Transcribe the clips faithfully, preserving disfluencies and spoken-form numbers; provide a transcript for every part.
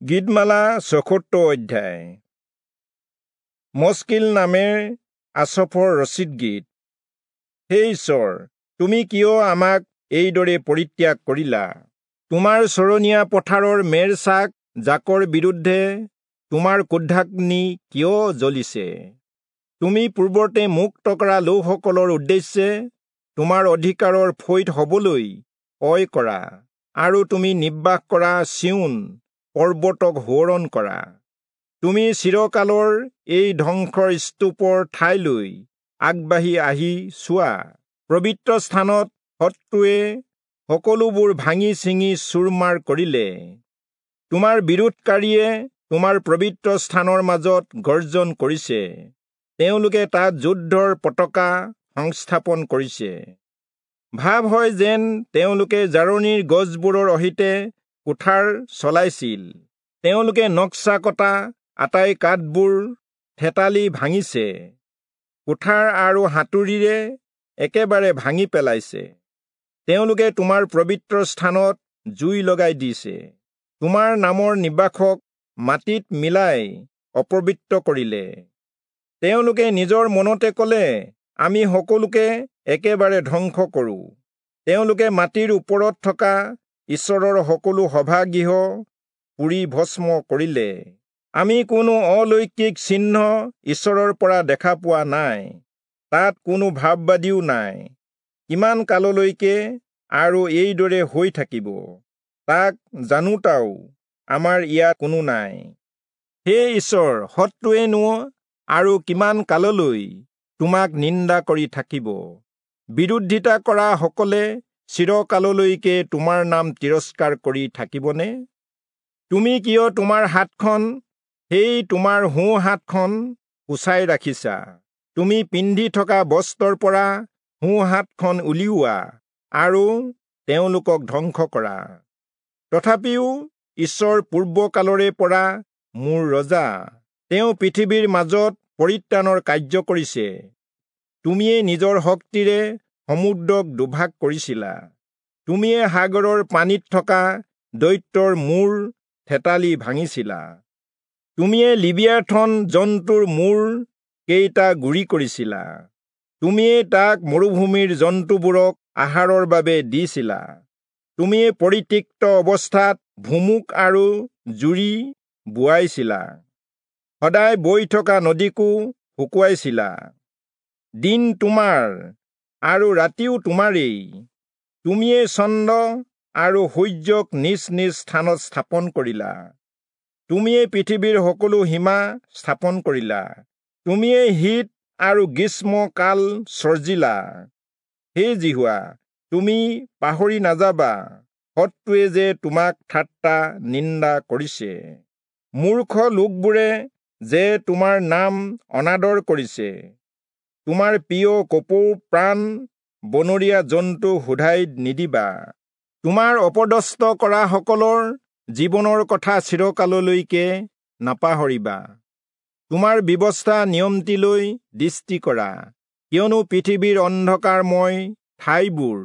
গীতমালা চৌসত্তৰ অধ্যায়। মস্কিল নামেৰ আচফৰ ৰচিত গীত। হে ঈশ্বৰ, তুমি কিয় আমাক এইদৰে পৰিত্যাগ কৰিলা? তোমাৰ চৰণীয়া পথাৰৰ মেৰ চাক জাকৰ বিৰুদ্ধে তোমাৰ ক্ৰোধাগ্নি কিয় জ্বলিছে? তুমি পূৰ্বতে মুক্ত কৰা লোকসকলৰ উদ্দেশ্যে তোমাৰ অধিকাৰৰ ফৈদ হবলৈ অয় কৰা, আৰু তুমি নিবাস কৰা চিয়োন পৰ্বতক সোঁৱৰণ কৰা। তুমি চিৰকালৰ এই ধ্বংসৰ স্তূপৰ ঠাইলৈ আগবাঢ়ি আহি চোৱা। পবিত্ৰ স্থানত শত্ৰুৱে সকলোবোৰ ভাঙি ছিঙি চুৰমাৰ কৰিলে। তোমাৰ বিৰোধকাৰীয়ে তোমাৰ পবিত্ৰ স্থানৰ মাজত গৰ্জন কৰিছে। তেওঁলোকে তাত যুদ্ধৰ পতাকা সংস্থাপন কৰিছে। ভাৱ হয় যেন তেওঁলোকে জাৰণিৰ গছবোৰৰ অহিতে কুঠাৰ চলাইছিল। তেওঁলোকে নক্সা কটা আটাই কাঠবোৰ থেতালি ভাঙিছে, কুঠাৰ আৰু হাতুৰীৰে একেবাৰে ভাঙি পেলাইছে। তেওঁলোকে তোমাৰ পবিত্ৰ স্থানত জুই লগাই দিছে, তোমাৰ নামৰ নিবাসক মাটিত মিলাই অপবিত্ৰ কৰিলে। তেওঁলোকে নিজৰ মনতে কলে, আমি সকলোকে একেবাৰে ধ্বংস কৰোঁ। তেওঁলোকে মাটিৰ ওপৰত থকা ঈশ্বৰৰ সকলো সভাগৃহ পুৰি ভস্ম কৰিলে। আমি কোনো অলৌকিক চিহ্ন ঈশ্বৰৰ পৰা দেখা পোৱা নাই, তাত কোনো ভাববাদীও নাই। কিমান কাললৈকে আৰু এইদৰে হৈ থাকিব, তাক জানোতাও আমাৰ ইয়াত কোনো নাই। হে ঈশ্বৰ, শত্ৰুৱেনো আৰু কিমান কাললৈ তোমাক নিন্দা কৰি থাকিব? বিৰোধিতা কৰা সকলে চিৰকাললৈকে তোমাৰ নাম তিৰস্কাৰ কৰি থাকিবনে? তুমি কিয় তোমাৰ হাতখন, সেই তোমাৰ সোঁ হাতখন কোঁচাই ৰাখিছা? তুমি পিন্ধি থকা বস্ত্ৰৰ পৰা সোঁ হাতখন উলিওৱা আৰু তেওঁলোকক ধ্বংস কৰা। তথাপিও ঈশ্বৰ পূৰ্বকালৰে পৰা মোৰ ৰজা, তেওঁ পৃথিৱীৰ মাজত পৰিত্ৰাণৰ কাৰ্য কৰিছে। তুমিয়ে নিজৰ শক্তিৰে সমুদ্ৰক দুভাগ কৰিছিলা। তুমিয়ে সাগৰৰ পানীত থকা দৈত্যৰ মূৰ থেতালি ভাঙিছিলা। তুমিয়ে লিবিয়াথন জন্তুৰ মূৰ কেইটা গুৰি কৰিছিলা। তুমিয়ে তাক মৰুভূমিৰ জন্তুবোৰক আহাৰৰ বাবে দিছিলা। তুমিয়ে পৰিত্যক্ত অৱস্থাত ভুমুক আৰু জুৰি বোৱাইছিলা। সদায় বৈ থকা নদীকো শুকুৱাইছিলা। দিন তোমাৰ আৰু ৰাতিও তোমাৰেই। তুমিয়ে চন্দ্ৰ আৰু সূৰ্যক নিজ নিজ স্থানত স্থাপন কৰিলা। তুমিয়ে পৃথিৱীৰ সকলো সীমা স্থাপন কৰিলা। তুমিয়ে শীত আৰু গ্ৰীষ্ম কাল সৰ্জিলা। হে যিহোৱা, তুমি পাহৰি নাযাবা শত্ৰুৱে যে তোমাক ঠাট্টা নিন্দা কৰিছে, মূৰ্খ লোকবোৰে যে তোমাৰ নাম অনাদৰ কৰিছে। তোমাৰ প্ৰিয় কপৌ প্ৰাণ বনৰীয়া জন্তু সোধাই নিদিবা। তোমাৰ অপদস্থ কৰা সকলৰ জীৱনৰ কথা চিৰকাললৈকে নাপাহৰিবা। তোমাৰ ব্যৱস্থা নিয়মটিলৈ দৃষ্টি কৰা, কিয়নো পৃথিৱীৰ অন্ধকাৰময় ঠাইবোৰ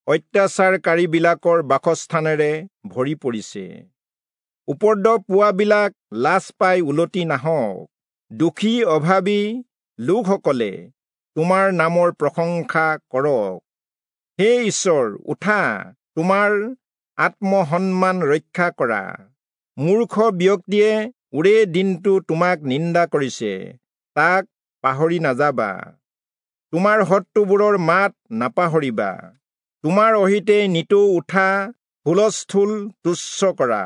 অত্যাচাৰকাৰীবিলাকৰ বাসস্থানেৰে ভৰি পৰিছে। উপদ্ৰৱ পোৱাবিলাক লাজ পাই উলটি নাহক। দুখী অভাৱী লোকসকলে তোমাৰ নামৰ প্ৰশংসা কৰক। হে ঈশ্বৰ, উঠা, তোমাৰ আত্মসন্মান ৰক্ষা কৰা। মূৰ্খ ব্যক্তিয়ে ওৰে দিনটো তোমাক নিন্দা কৰিছে, তাক পাহৰি নাযাবা। তোমাৰ শত্ৰুবোৰৰ মাত নাপাহৰিবা। তোমাৰ অহিতে নিতৌ উঠা হুলস্থুল তুচ্ছ কৰা।